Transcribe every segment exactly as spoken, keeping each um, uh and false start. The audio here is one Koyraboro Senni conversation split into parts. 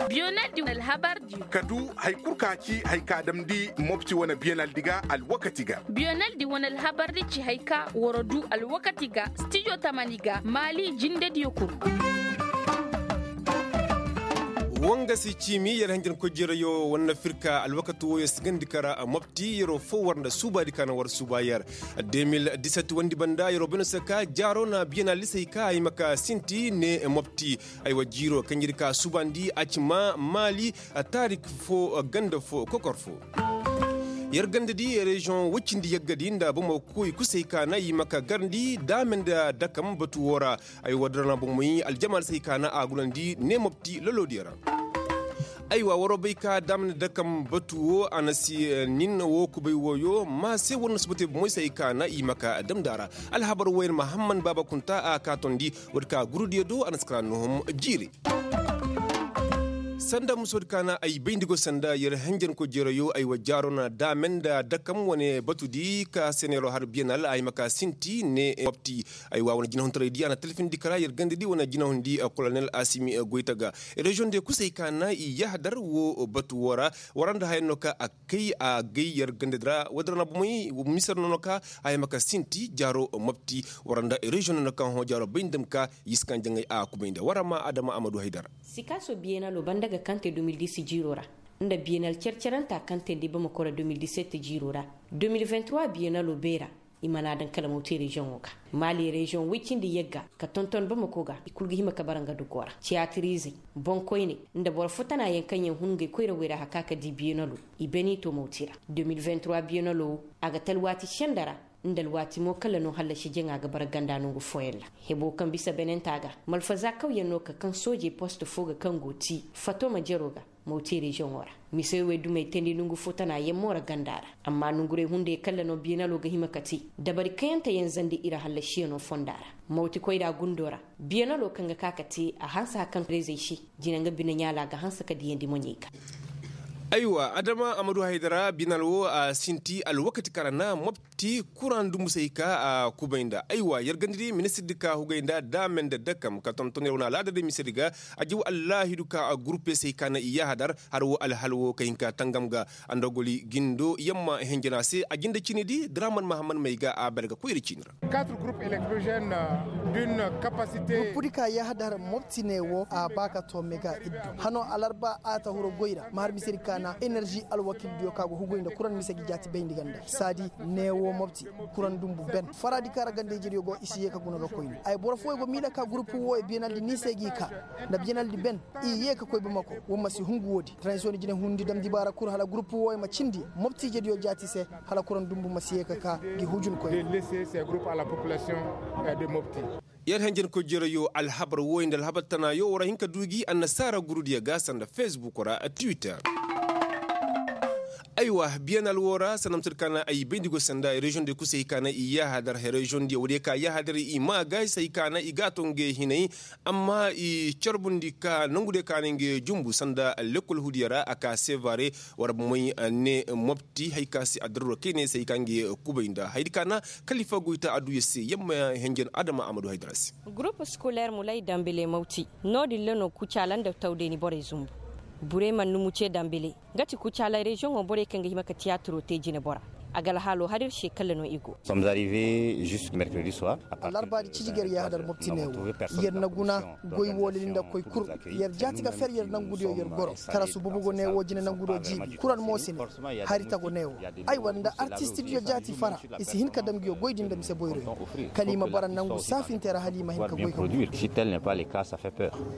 Biyonaldi wane alhabardiyo ka du hari kul ka ci hari ka damndi mopti wane biyonaldi ga alwakati ga. Biyonaldi wane alhabardi ci hari ka war du alwakati ga stijo tamani ga maali jindediyo kul. Wanga si ciimi yer hanjankoy jereyo war na firka alwakati wooyo si gandi kara mopti yeroo foo war nda suubaadi ka na war suuba yer. De mil diset wandi banda yeroo bay no se ka jaaroo na biyanalisey ka ay ma ka sinti ne mopti. Aywa jiiroo kaŋ yer ka suubandi a ci ma maali taarik foo ganda foo kokor foo. Yer ganda di reziyoŋ woy cindi yagga di nda bomo koy kusey ka na i ma ka garndi daame nda dakam batu woo ra. Ay war dara na bomoy aljamaal se ay ka na a gunandi ne mopti loloodiyo ra. Aywa waroo bay ka daama nda dakam batu woo a na si nin woo kubay wooyo ma se war na suba te bomoy se ay ka na i ma ka damndi a ra. Alhabar wooyo na mahamman baaba kunta a ka tondi woodi ka gurudiyo do a na si kara nohom jiiri. Sanda musoodi ka na ay bayndi go sanda yer henjenko jereyo ay wa jaaro na daame nda dakam wane batudi ka se neeroo har biyanal ay ma ka sinti ne wapti. Ay wa wane jinahuntaray di a na talfindi kara yer ganda di wane jinahundi kolonel asimi goyta ga. Reziyoŋ de kusay ka na i yahadar wo batu wo ra. War nda haya no ka a kay a gay yer ganda di ra wadara na bomey misar no no ka haya ma ka sinti jaaro mapti. War nda reziyoŋ no no ka hõ jaaro bay nda ma ka yiskan jaŋay a kubay nda war ma adama amadu haydara. Sikaso biyenalo banda ga kante deux mille dix jiiro ra nda biyenal cerceranta kante nda i bamako ra deux mille dix-sept jiiro ra. Deux mille vingt-trois biyenalo beera i mana daŋ kala mawti reziyoŋo ga. Maali reziyoŋ woy cindi yagga ka tonton bamako ga i kulu ga hima ka bara nga dugo ra tiyatiriizey, boŋkoyney, nda boro fo tana yaŋ kaŋ yaŋ hun ngey koyrawey ra haka ka di biyenalo. I beni to mawti ra. Deux mille vingt-trois biyenalo wo a ga te alwaati senda ra nda alwaati mo kala no hallasi jaŋa ga bara ganda nongu fooyaŋ ra. Hebo kaŋ bisa benenta ga malfaza kawyaŋ no ka kaŋ soojey post fo ga kaŋ go ti fatoma jero ga. Mawti reziyoŋo ra misey wey dumey teendi nongu fo tana yammo ra ganda ra. Amma nongurey hunday kalla no biyenalo ga hima ka te dabari kayante yaŋ zandi iri hallasiyaŋo fonda ra. Mawti koyra gundo ra biyenalo kaŋ ga ka ka te a hanse hari kaŋ reezey se. Jina nga bine ɲaala ga hanse ka diyandi moɲey ga. Aywa adama amadu haydara binal wo a sinti alwakati kaŋ ra na mopti kuraŋ dumbu se i ka a kubay nda aywa yer gandiri ministir di ka hugay nda daame nda dakam ka tonton yer wane alaada day misedi ga. A jaw allaahidu ka a gurupe se i ka na i yahadar har wo alhal wo ka hin ka tangam ga. Andogoli gindo yamma henjena se a jinde cini di draman mahammad may ga a bere ga koyri cini ra. Gurupu di ka yahadar mopti ne wo a ba ka to mega iddu hano alarba a ta huro goy ra ma har mise di ka na enerzi alwakildiyo ka go hugoy nda kuraŋ mise ga i jaati bayndi ganda saadi ne wo mopti. Kuraŋ dumbu ben fara di ka ra ganda ijediyo go i si ye ka guna ga koyne ay boro fooyo go miila ka gurupu wooyo biyanaldi ni se g'i ka nda biyanaldi ben. I ye ka koy bamako. Wo ma si hungu woodi tranzisiyoŋ jine hundi dam dibaara kul hala gurupu wooyo ma cindi mopti ijediyo jaati se. Hala kuraŋ dumbu ma si ye ka ka gi hujun koy. Yer henjenkoy jereyo alhabar wooyo nda alhabar tanaayo war a hin ka du gi annasaara gurudiyo ga sanda fesbuk ra twitter. Aywa biyanal woo ra sanda ma se di ka na ay bayndi go sanda reziyoŋ diyo kul se hay ka na i yaahadar reziyoŋ diyo woodiyo ka yaahadar i maa gaay se hay ka na i g'a to ngey hinay. Amma i carbundi ka nongudiyo ka na ngey jumbu sanda lekkol hudiyo ra a ka sevare. War bomey ne mopti hay ka se addaruro kayne se hay ka ngey kubay nda hayadi ka na kalifa goyta adduya se yamma henjen adama amadu haydara se. Gurupu skoler mulay dambele mawti no-din ra no kucaala nda tawdeeni borey zumbu. Burey man numu ce dambele nga ti kucaala reziyoŋo borey kaŋ ga hima ka tiyaatiro te jinebora. A ga alhaalo har ir se kala no i go. Alarbaadi ciji ga yer yaahadar mopti ne wo. Yer na guna goy woolili nda koy kul. Yer jaati ga fer yer nangudiyo yer goro tarasu bubugo ne wo jine nangudiyo jiibi kuran mo si ne. Hari tago ne wo. Aywa nda artistidiyo jaati fara. I si hin ka dam nguyo goy din nda mise boyroyo kala i ma bara nangu saafinte ra hala i ma hin ka goy ka guuru.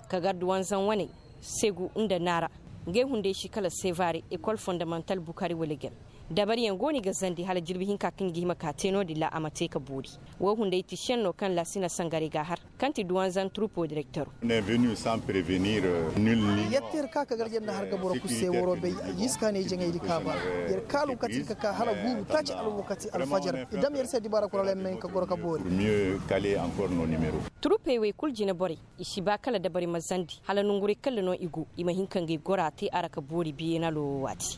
Kagar duwanzaŋ waney segu nda naara. Ngey hunday si kala sevare ekol fondamantal bukari wala gem. Dabariyaŋ go no i ga zandi hala jirbi hinka kaŋ i ga hima ka te no-din ra a ma te ka boori. Wo hunday ti senno kaŋ laasina sangarey ga a har kaŋ ti duwanzaŋ turupoo direktero. Yer te yer ka ka garje nda har ga boro kul se waroo bay. Jiiska ne jaŋaydi kaaba yer kaalu kate ir ka ka hala guuru taaci alwakati alfajar i dam yer se dibaara kul hala yer ma hin ka goro ka boori. Turupey wey kul jineborey i si ba kala dabari ma zandi hala nonguray kalla no i go i ma hin ka ngey gora te a ra ka boori biyenalo wo waati.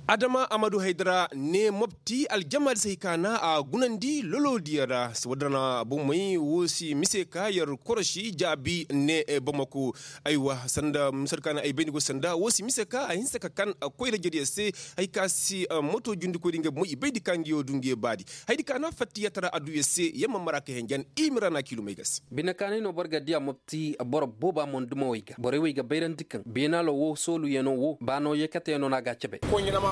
Adama amadu haydara ne mopti aljamaadi se hay ka na a gunandi loloodiyo ra. Wadana bomey wo si mise ka yer korosi jaabi ne bamako. Aywa sanda mise ka na ay bayndi go sanda wo si mise ka a hinse ka kan koyra jediyo se. Hay ka si moto jundikoydi nga bomey i bayndi ka nga yo du nga yo baadi. Haydi ka na fattiyata ra a du yer se yamma mara ka henjan i mira na kiilumey ga se. Bine kaanay no boro ga diya mopti boro booba mondumawey ga borey wey ga bayrandi kaŋ beenalo wo sooluyanoo wo ba no yeekatayano no a ga a cabe.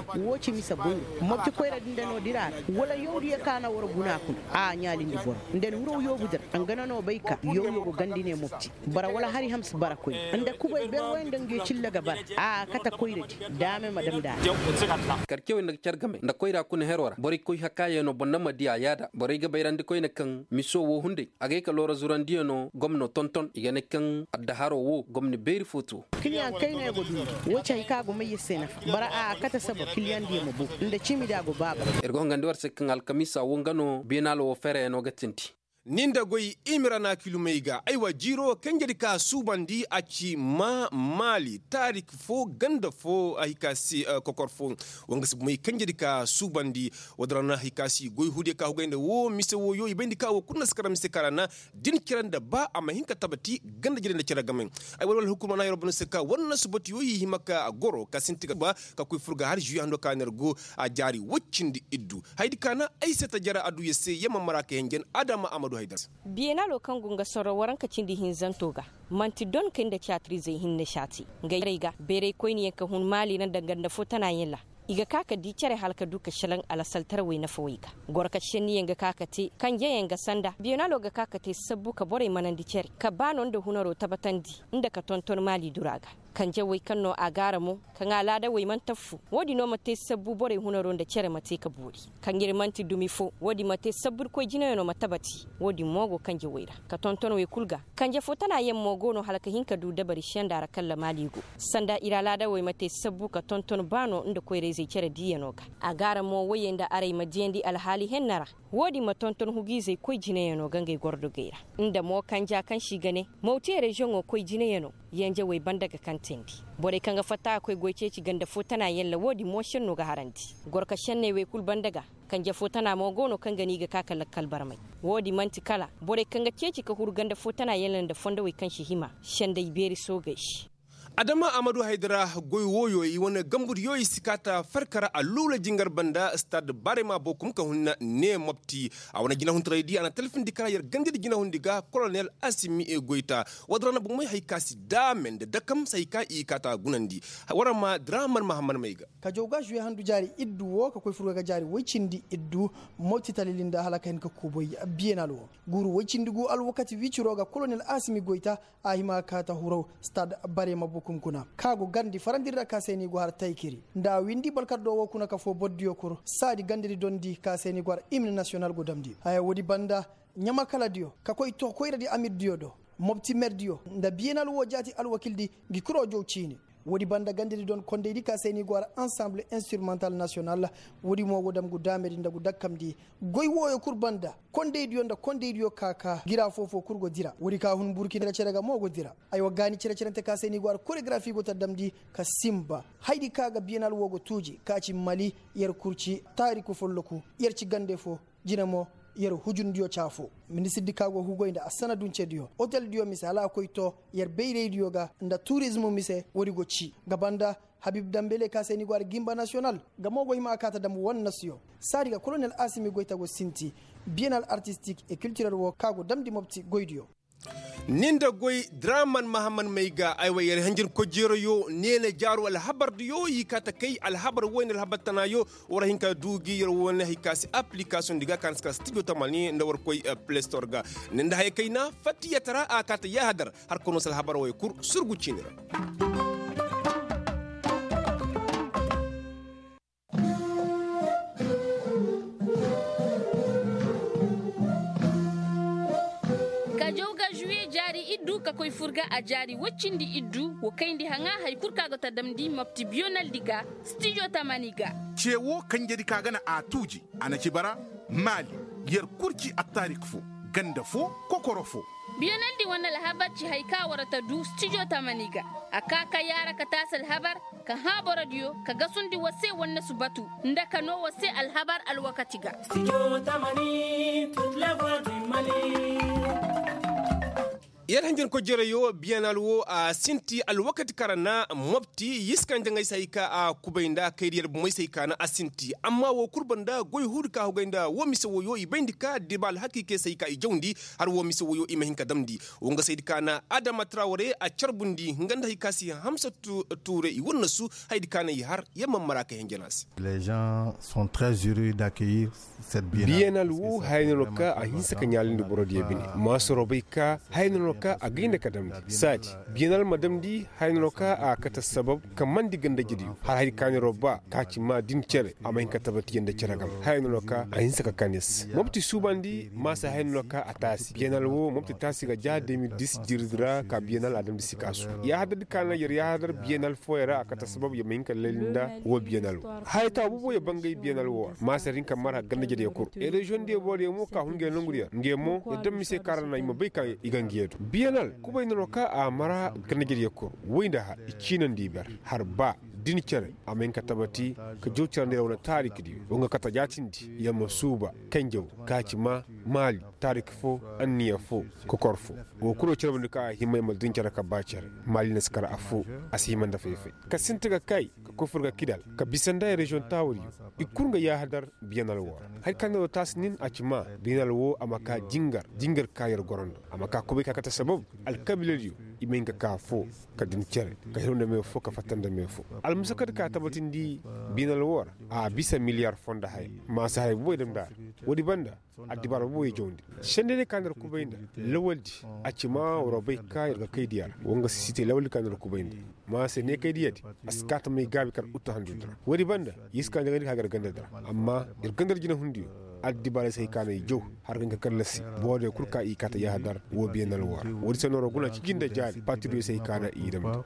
Wo ci mise boyro mopti koyra din da no dira ra wala yawdiyo ka na war guna kuna a ɲaalindi boro nda ni hiraw yoobu dira nga na no bay ka yawyo go gandi ne mopti. Bara wala hari ham si bara koy nda kubay ber way nga nga cilla ga bara a kate koyra di. Daame ma dam da a. Karcewey nda ga car game nda koyra kuna hero ra borey koy hakaayanoo boŋ na ma diya yaada borey ga bayrandi koyne kaŋ miso wo hunday a gay ka loora zurandiyanoo gomno tonton i ga ne kaŋ addaharoo wo gomni beeri fo to. Kiliyaŋ kayna yaŋ go duundi. Wo ci hay ka go may yer se nafa bara a kate saba kiliyaŋ diyo ma bo nda ciimi da a go baaba. Yer go hangandi war se kaŋ alkamiisa wo nga no beenaalo wo fereyanoo ga tindi. Ni nda goy i ma ra na kilumey ga aywa jiiro kanjedi ka suubandi a ci ma maali taarik fo ganda fo hay ka si kokor fo. Wanga si bumey kanjedi ka suubandi. Woo din ra na hay ka si goy huudiyo ka hugay nda woo mise wooyo i bayndi ka woo kulu na si kara mise ka ra na din cere nda ba a ma hin ka tabati ganda jere nda cere game. Ay wala wala hukuma na yoro bano se ka war na si batiyo i hima ka goro ka sinti ga ba ka koy fur ga har žuwi hando ka na ir go a jaari woy cindi iddu. Haydi ka na ay se ta jara adduya se yamma mara ka henjen adama amadu haydar. Biyenalo kaŋ go nga sorro waranka cindi hinzanto ga manti don kay nda caatirizey hinne saati. Ngey rey ga beerey koyniyaŋ ka hun maali ra nda ganda fo tanayaŋ ra. I ga ka ka di cere hala ka du ka šelaŋ alasaltarawey nafawey ga. Goro ka šenniyaŋ ga ka ka te kanjeyaŋ ga sanda biyenalo ga ka ka te sabbu ka borey manandi cere ka ba no nda hunaro tabatandi nda ka tonton maali dura ga. Kanjewey kaŋ no a gaara mo kaŋ alaadawey mana taffu. Woo din no ma te sabbu borey hunaro nda cere ma te ka boori. Kaŋ ir manti dumi fo woo din ma te sabbu ir koy jinayaŋo ma tabati. Woo din mo go kanjewey ra ka tonton wey kul ga. Kanje fo tana yaŋ mo go no hala ka hin ka du dabari senda ra kalla maali go. Sanda ir alaadawey ma te sabbu ka tonton baano nda koyra-izey cere diiyano ga. A gaara mo woyey nda arey ma diyandi alhaali henna ra. Woo din ma tonton hugu-izey koy jinayano ga ngey gordogey ra. Nda mo kanja kaŋ se i ga ne mawtiye reziyoŋo koy jinayano. Yenjewey banda ga kantandi. Borey kaŋ ga fatta ga koy goy ceeci ganda fo tana yaŋ ra woo din mo šenno ga harandi. Goro ka šenney wey kul banda ga. Kanje fo tana mo go no kaŋ ga no i ga ka ka lakkal barmay. Woo din man'ti kala borey kaŋ ga ceeci ka huru ganda fo tana yaŋ ra nda fondowey kaŋ si hima senday beeri soogey se. Adama amadu haydara goy wooyo i wane gambudiyo i si kaata farka ra alluula jingar banda stad barema bokum ka hunna ne mopti. A wane jinahuntaraydi a na talfindi kara yer gandadi jinahundi ga kolonel asimi goyta. Woo din ra na bumey hay ka si daame nda dakam se hay ka i kaata gunandi. War ma draman mahamman may ga. Ka jaw ga žuwe handu jaari iddu woo ka koy furga ga jaari woy cindi iddu. Mopti talili nda hala ka hin ka kuuboy biyenal woo guuru woy cindi gu alwakati wiciro ga kolonel asimi goyta. A hima ka kaata huraw stad barema bukum kuna ka go gandi farandi ra ka se ni go har taykiri nda a windi balkardo wo kuna ka foo bordiyo kur saadi gandadi dondi ka se ni go har imni nasiyonal go damndi haya woodi banda ɲamakaladiyo ka koy too koyradi amirdiyo do mopti merdiyo nda biyenal wo jaati alwakildi ngi kuro jow ciini. Woodi banda gandadi don kondaydi ka se ni go har ansamble instrumental nasiyonal. Woodi mo go dam gu daamedi nda gu dakkamndi goy wooyo kul banda kondaydiyo nda kondaydiyo ka ka gira foofo kul go dira woodi ka hun burkina cere ga mo go dira. Aywa gaani cere-cerente ka se ni go har koregrafi go ta damndi ka sinba haydi ka ga biyenal woo go tuuji ka ci mali yer kul ci taariku folloku yer ci gande foo jine mo yer hujundiyo ci afoo. Ministirdi ka go hugoy nda assanaduncediyo oteldiyo mise hala a koy too yer bayraydiyo ga nda turizmu mise woodi go ci ga banda habib dambele ka se ni go har gimba nasiyonal nga mo go hima a kaata dam wannasuyo saadi ga kolonel asimi goyta go sinti biyenal artistik e kiltirel woo ka go damndi mopti goydiyo. Ni nda goy draman mahamman may ga aywa yer hanjin kojeerayo neene jaaru alhabardiyo i kaata kay alhabar woy nda alhabar tanaayo. War hin ka du gi yer woy ne hay ka si aplikasoŋ di ga ka na si ka stijo tamani nda war koy plestor ga. Ni nda haya kayna fattiyata ra a kaata yaahadar. Har ka no si alhabar woy kul surgu ciini ra. Ka jaw ga žuwe jaari iddu ka koy fur ga a jaari woy cindi iddu woo kayndi haŋa hari kul kaŋ a go ta damndi mopti biyonaldi ga stijo tamani ga. Ce woo kanjedi kaŋ a ga na a tuuji a na ci bara maali yer kul ci attaarik foo ganda foo kokoro foo. Biyanal di wane alhabar ci hari ka war ta du stijo tamani ga. A ka ka yaara ka taasi alhabar, ka hã borodiyo ka gasundi war se wannasu batu, nda ka noo war se alhabar alwakati ga. Yer hanjankoy jerey wo biyanal wo a sinti alwakati kaŋ ra na mopti. Yer si kaŋ jaŋay se hari ka a kubay nda kaydiyer bomey se hari ka na a sinti. Amma woo kul banda goy huudi ka hugay nda woo mise woyo i bayndi ka diba alhakiikey se hari ka i jawndi. Har woo mise woyo i ma hin ka damndi. Woo nga se hari ka na adama traware a carbundi nga nda hari ka se hamsa tuure i wannasu. Hari ka na i har yer ma mara kay hinjana se. Biyanal wo haya no no ka a hinsa ka ɲaalindi borodiyo bine. Maasaroo bay ka haya no no ka a gay nda ka damndi saadi. Biyanal ma damndi haya no no ka a kate sabab ka mandi gandajediyo har hari ka neeroo ba ka ci maa din cere a ma hin ka tabati yee nda cere game. Haya no no ka a hinsa ka kaa ne se mopti suubandi maasa haya no no ka a taasi biyanal wo mopti taasi ga ja de mil dis jiridi ra ka biyanal a damndi sikaasu. Yaahadar di ka na yer yaahadar biyanal fooyaŋ ra a kate sabab yer ma hin ka layli nda woo biyanal wo. Haya taawa boobo yer bangay biyanal woo ra maasa yer hin ka mara gandajediyo kul. Reziyoŋ diyo borodiyo mo ka hun ngey nongudiyo ra ngey mo yer dam mise kaŋ ra na i ma bay ka i ga ngey du biyanal kubay no no ka a mara gandajediyo kul. Woy nda har i ciinandi i ber har ba din cere a ma hin ka tabati ka jaw carandi ra wane taarikdiyo woo nga kate jaatindi yer ma suuba kanjaw ka ci maa maali taarik foo anniya foo kokor foo. Woo kul wo carbundi ka a hima yer ma din cere ka ba cere maali na si kar affoo. A si hima nda fay-fay ka sinti ga kay ka koy fur ga kidal ka bisa nda reziyoŋ taawadiyo. I kul nga yaahadar biyanal woo ra hari ka neeroo taasi nin a ci maa biyanal woo a ma kaa jingar jingar ka yer goro nda a ma kaa kubay ka kate sabab alkabiiladiyo i ma hin ka kaa affoo ka din cere ka hiru nda me foo ka fatta nda me foo. Almusakadi ka tabatindi biyanal woo ra a bisa miliyar foo nda haya maasa haya booboy damndi a ra. Woodi banda addibaara booboy jawndi sendey day ka na yer kubay nda lawaldi a ci maa waroo bay ka yer ga kaydiya ra woo nga si si te lawaldi ka na yer kubay nda. Maasa ne kaydiya di a si kaa tamay gaabi kar uttahandudi ra woodi banda yer si kaa njagandi ka gar gandadi ra. Amma yer gandadi jinahundiyo addibaarey se hay ka na i jaw har ga hin ka kallasi boorodiyo kul ka i kaa ta yaahadar woo biyanal woo ra. Woodi se nooroo guna ciji nda jaari patriyo se hay ka na i damndi.